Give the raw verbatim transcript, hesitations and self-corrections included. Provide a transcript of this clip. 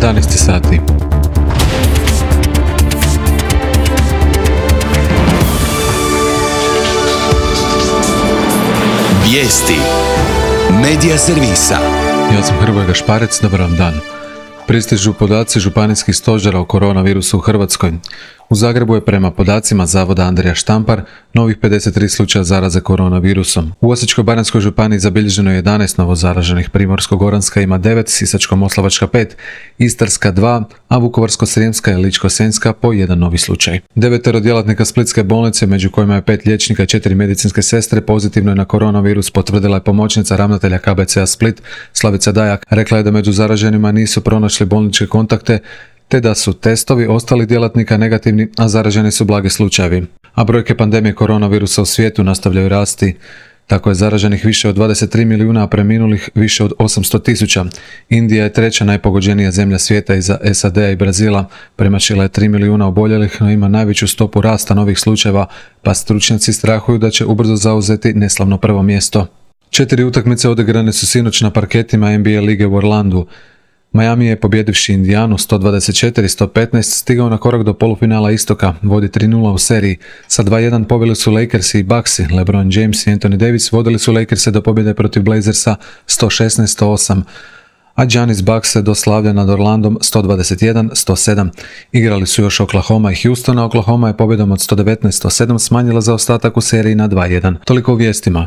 jedanaest sati. Vijesti Medija servisa. Ja sam Hrvoje Gašparec, dobar vam dan. Pristižu podaci županijskih stožera o koronavirusu u Hrvatskoj. U Zagrebu je prema podacima Zavoda Andrija Štampar novih pedeset tri slučaja zaraze koronavirusom. U Osječko-baranjskoj županiji zabilježeno je jedanaest novo zaraženih, Primorsko-goranska ima devet, Sisačko-moslavačka pet, Istarska dva, a Vukovarsko-srijemska i Ličko-senjska po jedan novi slučaj. Devetero djelatnika Splitske bolnice, među kojima je pet liječnika i četiri medicinske sestre, pozitivno je na koronavirus, potvrdila je pomoćnica ravnatelja K B C-a Split Slavica Dajak. Rekla je da među zaraženima nisu pronašli bolničke kontakte, te da su testovi ostalih djelatnika negativni, a zaraženi su blagi slučajevi. A brojke pandemije koronavirusa u svijetu nastavljaju rasti. Tako je zaraženih više od dvadeset tri milijuna, a preminulih više od osamsto tisuća. Indija je treća najpogođenija zemlja svijeta iza S A D-a i Brazila. Premašila je tri milijuna oboljelih, no ima najveću stopu rasta novih slučajeva, pa stručnjaci strahuju da će ubrzo zauzeti neslavno prvo mjesto. Četiri utakmice odigrane su sinoć na parketima N B A lige u Orlandu. Miami je, pobjedivši Indijanu sto dvadeset četiri sto petnaest, stigao na korak do polufinala istoka, vodi tri nula u seriji. Sa dva jedan pobili su Lakersi i Bucksi. LeBron James i Anthony Davis vodili su Lakerse do pobjede protiv Blazersa sto šesnaest sto osam, a Giannis Bucks se doslavlja nad Orlandom sto dvadeset jedan sto sedam. Igrali su još Oklahoma i Houston, a Oklahoma je pobjedom od sto devetnaest sto sedam smanjila zaostatak u seriji na dva jedan. Toliko u vijestima.